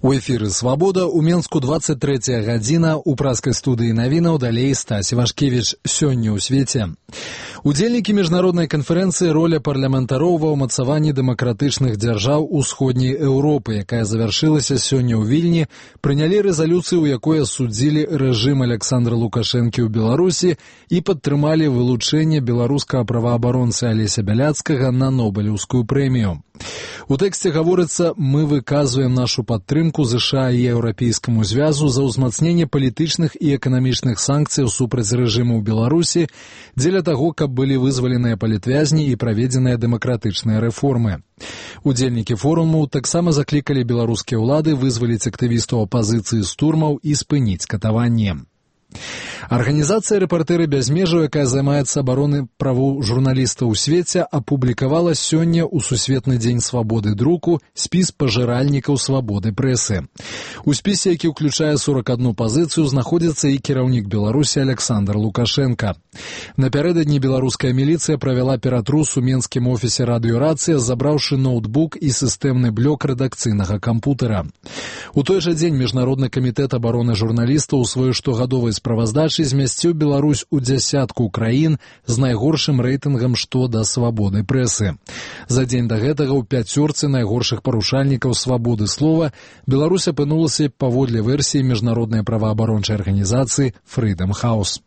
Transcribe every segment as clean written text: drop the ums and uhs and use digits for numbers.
У эфіры «Свабода», у Менску 23 гадзіна, у праскай студыі навінаў далей Стась Івашкевіч. Сёння ў свеце. Удзельнікі міжнароднай канферэнцыі «Роля парламентароў ва ўмацаванні дэмакратычных дзяржаў усходняй Еўропы», якая завяршылася сёння ў Вільні, прынялі рэзалюцыю, у якой асудзілі рэжым Александра Лукашэнкі ў Беларусі і падтрымалі вылучэнне беларускага праваабаронцы Алеся Бяляцкага на Нобелеўскую прэмію. У тэксце гаворыцца: «Мы выказваем нашу падтрымку ЗША і Еўрапейскаму звязу за ўзмацненне палітычных і эканамічных санкцыяў супраць рэжыму ў Беларусі дзеля таго, каб былі вызваленыя палітвязні і праведзеныя дэмакратычныя рэформы». Удзельнікі форуму таксама заклікалі беларускія ўлады вызваліць актывістаў апазіцыі з турмаў і спыніць катаванне. Арганізацыя «Рэпартэры без межаў», якая займаецца абаронай правоў журналістаў у свеце, апублікавала сёння ў Сусветны дзень свабоды друку спіс пажыральнікаў свабоды прэсы. У спісе, які ўключае 41 пазіцыю, знаходзіцца і кіраўнік Беларусі Александр Лукашенко. Напярэдадні беларуская міліцыя правяла ператрус у менскім офісе радыёрацыя, забраўшы ноутбук і сістэмны блок рэдакцыйнага кампутера. У той жа дзень Міжнародны камітэт абароны журналістаў у сваёй штогадовай справаздачы змясціў Беларусь у дзясятку краін з найгоршым рэйтынгам што да свабоды прэсы. За дзень да гэтага ў пяцёрцы найгоршых парушальнікаў свабоды слова Беларусь апынулася паводле версіі міжнароднай праваабарончай арганізацыі Freedom House.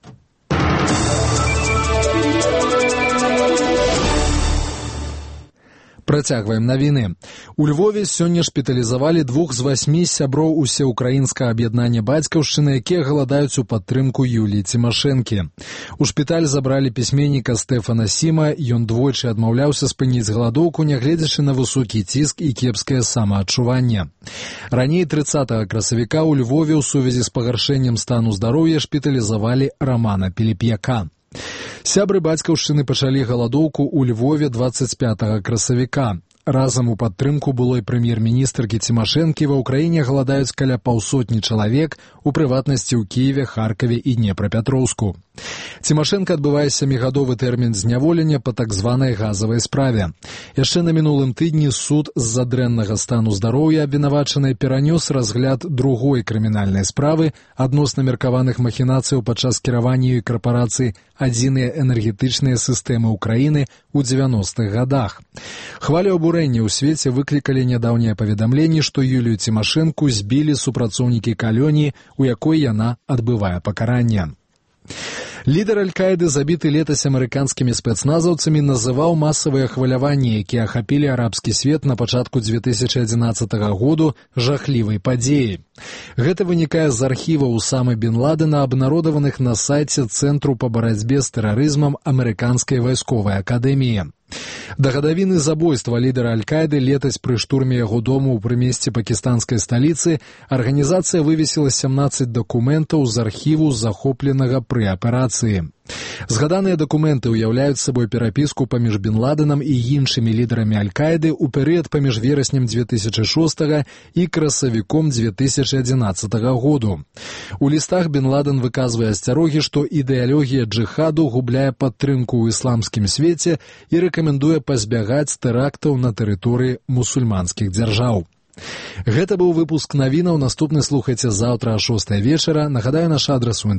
Працягваем навіны. У Львове сёння шпіталізавалі 2 з 8 сяброў усеукраінскага аб'яднання бацькаўшчыны, якія галадаюць у падтрымку Юліі Цімашэнкі. У шпіталь забралі пісьменніка Стэфана Сіма, ён двойчы адмаўляўся спыніць галадоўку, нягледзячы на высокі ціск і кепскае самаадчуванне. Раней 30 красавіка ў Львове ў сувязі з пагаршэннем стану здароўя шпіталізавалі Рамана Піліп'яка. Сябры бацькаўшчыны пачалі галадоўку ў Львове 25 красавіка. Разам у падтрымку былой прэм'ер-міністркі Цімашэнкі ва ўкраіне галадаюць каля 200 чалавек, у прыватнасці ў Кіеве, Харкаве і Днепрапятроўску. Цімашэнка адбывае 7-гадовы тэрмін зняволення па так званай газавай справе. Яшчэ на мінулым тыдні суд з-за дрэннага стану здароўя абвінавачанай перанёс разгляд другой крымінальнай справы адносна меркаваных махінацыяў падчас кіравання ёй карпорацыі «Адзіныя энергетычныя сістэмы Украіны» ў 90-х гадах. Хвалю абурэння ў свеце выклікалі нядаўнія паведамленні, што Юлію Цімашэнку збілі супрацоўнікі калоніі, у якой яна адбывае пакаранне. Лідар Аль-Каіды, забіты летась амерыканскімі спецназаўцамі, называў масавыя хваляванні, якія ахапілі арабскі свет на пачатку 2011 году, жахлівай падзеяй. Гэта вынікае з архіваў Усамы бен Ладена, абнародаваных на сайце Цэнтру па барацьбе з тэрарызмам Амерыканскай вайсковай акадэміі. Да гадавіны забойства лідара Аль-Каіды летась пры штурме яго дому ў прымесці пакістанскай сталіцы арганізацыя вывесіла 17 дакументаў з архіву захопленага пры аперацыі. Згаданыя дакументы ўяўляюць сабой перапіску паміж бен Ладенам і іншымі лідарамі Аль-Каіды ў перыяд паміж вераснем 2006 і красавіком 2011 году. У лістах бен Ладен выказвае асцярогі, што ідэалогія джыхаду губляе падтрымку ў ісламскім свеце і рэкамендуе пазбягаць тэрактаў на тэрыторыі мусульманскіх дзяржаў. Гэта быў выпуск навінаў. Наступны слухайце заўтра о 6 вечара. Нагадаю, наш адрас у